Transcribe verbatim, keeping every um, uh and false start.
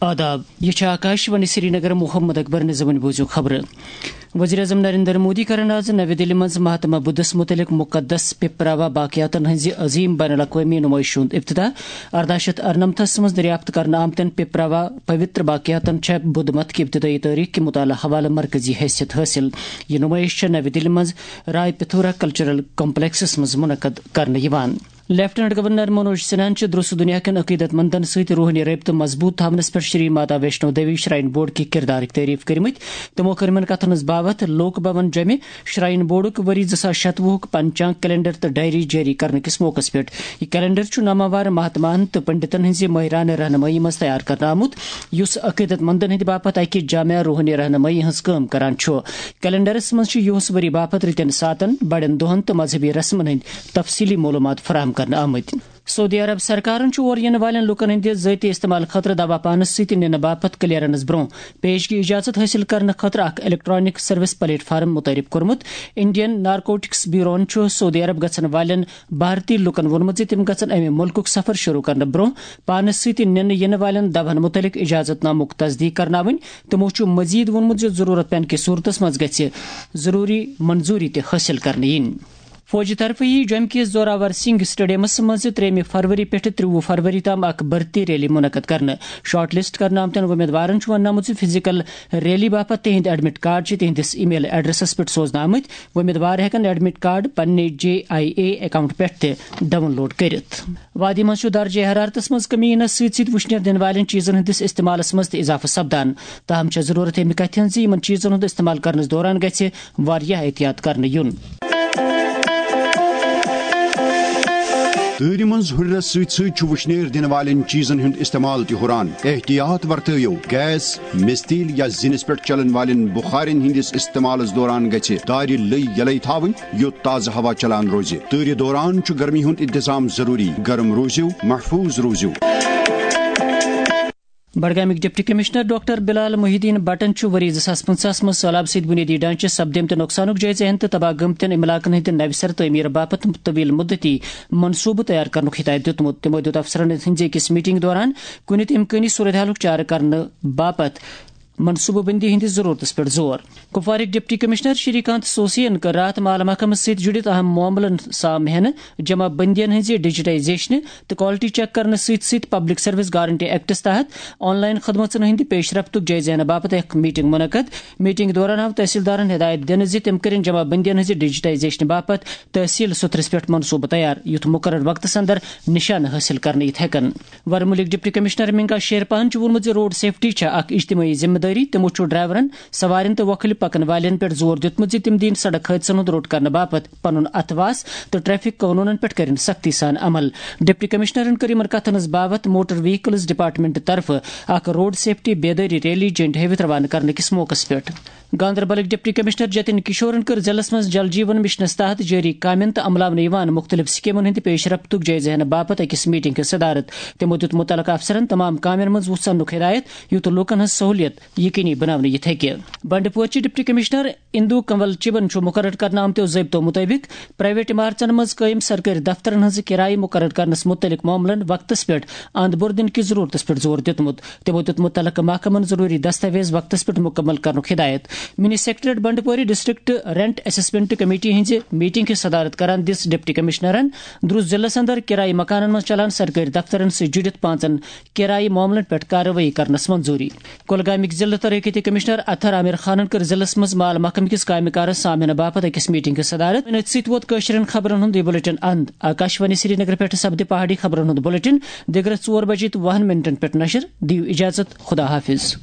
آداب، یہِ چھِ آکاش وانی سرینگر۔ محمد اکبر نظامن بوٗزِو خبرٕ۔ وزیر اعظم نریندر مودی کرن آز نوِ دِلہِ منٛز مہاتما بدھس متعلق مقدس پپراوا باقیاتن ہٕنٛزِ عظیم بین الاقوٲمی نُمٲیشہِ ہُنٛد افتتاح۔ ارداہ شیٚتھ ارنمتھس منٛز دریافت کرنہٕ آمتٮ۪ن پپراوا پوتر باقیاتن چھےٚ بدھ مت کہِ ابتدٲیی تٲریخ کہِ مطالعہٕ حوالہٕ مرکزی حیثیت حٲصِل۔ یہِ نُمٲیش چھےٚ نوِ دِلہِ منٛز رائے پتھورا کلچرل کمپلیکسس منٛز منعقد کرنہٕ یِوان۔ لیفٹیننٹ گورنر منوج سنہاہن چھُ درست دنیا کٮ۪ن عقیدت مندن سۭتۍ روحٲنی رٲبطہٕ مضبوط تھاونس پٮ۪ٹھ شری ماتا ویشنو دیوی شراین بورڈ کہِ کردارٕکۍ تعریف کٔرمٕتۍ۔ تِمو کٔر یِمن کتھن ہٕنٛز باوتھ لوک بھون جمہِ شراین بورڈُک ؤری زٕ ساس شتوُہُک پنچانگ کیلنڈر تہٕ ڈائری جٲری کرنہٕ کِس موقعس پٮ۪ٹھ۔ یہِ کیلنڈر چھُ ناماوار مہاتماہن تہٕ پنڈتن ہٕنٛزِ مٲہرانہٕ رہنمٲیی منٛز تیار کرنہٕ آمُت، یُس عقیدت مندن ہٕنٛدِ باپتھ اکہِ جامع روحٲنی رہنمٲیی ہٕنٛز کٲم کران چھُ۔ کیلنڈرس منٛز چھِ یِہُس ؤری باپتھ رٕتٮ۪ن ساعتن، بڑٮ۪ن دۄہن تہٕ مذہبی رسمن ہٕنٛدۍ تفصیلی معلومات فراہم کرنہٕ آمٕتۍ۔ سعودی عرب سرکارن چھُ اورٕ یِنہٕ والٮ۪ن لوٗکن ہٕنٛدِ ذٲتی استعمال خٲطرٕ دوا پانس سۭتۍ نِنہٕ باپتھ کلیئرنس برٛونٛہہ پیشگی اجازت حٲصِل کرنہٕ خٲطرٕ اکھ الیکٹرانک سروس پلیٹ فارم متعارف کوٚرمُت۔ انڈین نارکوٹکس بیوروہن چھُ سعودی عرب گژھن والٮ۪ن بھارتی لوٗکن ووٚنمُت زِ تِم گژھن امہِ مُلکُک سفر شروع کرنہٕ برٛونٛہہ پانس سۭتۍ نِنہٕ یِنہٕ والٮ۪ن دوہن متعلق اجازت نامُک تصدیق کرناوٕنۍ۔ تِمو چھُ مزید ووٚنمُت زِ ضروٗرت پینہٕ کِس صورتس منٛز گژھِ ضروٗری منظوٗری تہِ حٲصِل کرنہٕ یِنۍ۔ فوجی طرفہٕ یِیہِ جوٚمہِ کِس زوراور سنگھ اسٹیڈیمس منٛز ترٛیٚیِمہِ فروری پٮ۪ٹھٕ ترٛوُہ فروری تام اکھ بھرتی ریلی منعقد کرنہٕ۔ شارٹ لسٹ کرنہٕ آمتٮ۪ن وۄمیدوارن چھُ وننہٕ آمُت زِ فزیکل ریلی باپتھ تِہنٛدۍ ایڈمٹ کارڈ چھِ تِہنٛدِس ای میل ایڈریسس پٮ۪ٹھ سوزنہٕ آمٕتۍ۔ وۄمیدوار ہٮ۪کن ایڈمٹ کارڈ پننہِ جے آئی اے اکاؤنٹ پٮ۪ٹھ تہِ ڈاؤن لوڈ کٔرِتھ۔ وادی منٛز چھُ درجہ حرارتس منٛز کمی یِنس سۭتۍ سۭتۍ وُشنیر دِنہٕ والٮ۪ن چیٖزن ہٕنٛدِس استعمالس منٛز تہِ اضافہٕ سپدان۔ تاہم چھےٚ ضروٗرت اَمہِ کتھِ ہٕنٛز زِ یِمن چیٖزن ہُنٛد استعمال کرنس دوران گژھِ واریاہ احتیاط کرنہٕ یُن۔ تۭرِ منٛز ہُرٮ۪رس سۭتۍ سۭتۍ چھُ وُشنیر دِنہٕ والٮ۪ن چیٖزن ہُنٛد استعمال تہِ ہُران۔ احتیاط ورتٲیِو، گیس، مِستیٖل یا زِنِس پٮ۪ٹھ چلن والٮ۪ن بُخارٮ۪ن ہٕنٛدِس استعمالس دوران گژھِ دارِ لٔۍ یلے تھاوٕنۍ، یُتھ تازٕ ہوا چلان روزِ۔ تۭرِ دوران چھُ گرمی ہُنٛد انتظام ضروٗری۔ گرم روٗزِو، محفوٗظ روٗزِو۔ بڈگامٕکۍ ڈپٹی کمشنر ڈاکٹر بلال محی الدین بٹن چھُ ؤری زٕ ساس پنٛژاہس منٛز سٔہلاب سۭتۍ بُنیٲدی ڈھانچس سپدیمتہِ نۄقصانُک جٲیزٕ ہٮ۪نہٕ تہٕ تباہ گٔمتٮ۪ن علاقن ہٕنٛدِ نوِ سرٕ تعمیٖر باپتھ طویل مدتی منصوٗبہٕ تیار کرنُک ہدایت دِیُتمُت۔ تِمو دِیُت افسرن ہٕنٛزِ أکِس میٹنگ دوران کُنہِ تہِ امکٲنی صورتحالُک چارٕ کرنہٕ باپتھ منصوٗبہٕ بندی ہٕنٛدِس ضروٗرتس پٮ۪ٹھ زور۔ کپوارٕکۍ ڈپٹی کمشنر شری کانت سوسین کٔر راتھ مال محکمس سۭتۍ جُڑِتھ اہم معاملن سام ہٮ۪نہٕ، جمع بندین ہٕنٛزِ ڈیجیٹائزیشنہٕ تہٕ کوالٹی چیک کرنہٕ سۭتۍ سۭتۍ پبلک سروس گارنٹی ایکٹس تحت آن لائن خدمژن ہٕنٛدِ پیش رفتُک جٲیزٕ ہٮ۪نہٕ باپتھ اکھ میٹنگ منعقد۔ میٹنگ دوران آو تحصیلدارن ہدایت دِنہٕ زِ تِم کٔرِن جمع بندین ہٕنٛزِ ڈیجیٹائزیشنہٕ باپتھ تحصیل سطرس پٮ۪ٹھ منصوبہٕ تیار، یُتھ مقرر وقتس اندر نشانہٕ حٲصِل کرنہٕ یِتھ ہٮ۪کن۔ ورمُلٕکۍ ڈپٹی کمشنر منگا شیر پہن چھُ ووٚنمُت زِ روڈ سیفٹی چھےٚ اکھ اجتمٲعی ذمہٕ دٲری۔ تِمو چھُ ڈرائیورن، سوارٮ۪ن تہٕ وۄکھلہِ پکن والٮ۪ن پٮ۪ٹھ زور دیُتمُت زِ تِم دِیِن سڑک حٲدثن ہُنٛد روٚٹ کرنہٕ باپتھ پنُن اتھواس تہٕ ٹریفک قونوٗنن پٮ۪ٹھ کٔرِن سختی سان عمل۔ ڈپٹی کمشنرن کٔر یِمن کتھن ہٕنٛز باوتھ موٹر وہیکلز ڈپارٹمنٹ طرفہٕ اکھ روڈ سیفٹی بیدٲری ریلی جنڈ ہٲوِتھ روانہٕ کرنہٕ کِس موقعس پٮ۪ٹھ۔ گاندربلٕکۍ ڈپٹی کمشنر جتن کشورن کٔر ضلعس منٛز جل جیون مشنس تحت جٲری کامٮ۪ن تہٕ عملاونہٕ یِوان مُختٔلِف سکیمن ہٕنٛدِ پیش رفتُک جٲیزٕ ہٮ۪نہٕ باپتھ أکِس میٹنگ ہٕنٛز صدارت۔ تِمو دیُت مُتعلقہٕ افسرن تمام کامٮ۪ن منٛز وُژھ اننُک ہدایت، یُتھ لوٗکن ہٕنٛز سہوٗلیت یقینی بناونہٕ یِتھ ہیٚکہِ۔ بنڈپورچہِ ڈپٹی کمشنر اندو کنول چبن چھُ مقرر کرنہٕ آمتیو ضٲبطو مُطٲبِق پرائیویٹ عمارژن منٛز قٲیِم سرکٲرۍ دفترن ہٕنٛز کرایہِ مقرر کرنس مُتعلق معاملن وقتس پٮ۪ٹھ اند بور دِنہٕ کِس ضروٗرتس پٮ۪ٹھ زور دیُتمُت۔ تِمو دیُت مُتعلقہٕ محکمن ضروٗری دستاویز وقتس پٮ۪ٹھ مُکمل کرنُک ہدایت۔ Mini secretariat Bandipore district rent assessment committee ہٕنٛزِ میٹنگ ہٕنٛز صدارت کران دِژ ڈپٹی کمشنرن درست ضلعس اندر کرایہِ مکانن منٛز چلان سرکٲرۍ دفترن سۭتۍ جُڑِتھ پانٛژن کرایہِ معاملن پٮ۪ٹھ کاروٲیی کرنس منظوٗری۔ کۄلگامٕکۍ ضلعہٕ ترقیتی کمشنر اطہر عامر خانن کٔر ضلعس منٛز مال محکمہٕ کِس کامہِ کارس سام ہینہٕ باپتھ أکِس میٹنگ ہٕنٛز صدارت۔ أتھۍ سۭتۍ ووت کٲشرٮ۪ن خبرن ہُنٛد یہِ بلیٹن اند۔ آکاش وانی سرینگر پٮ۪ٹھ سپدِ پہاڑی خبرن ہُنٛد بلیٹن دِگرس ژور بجے تہٕ وُہن منٹن پٮ۪ٹھ نشر۔ دِیِو اجازت، خدا حافظ۔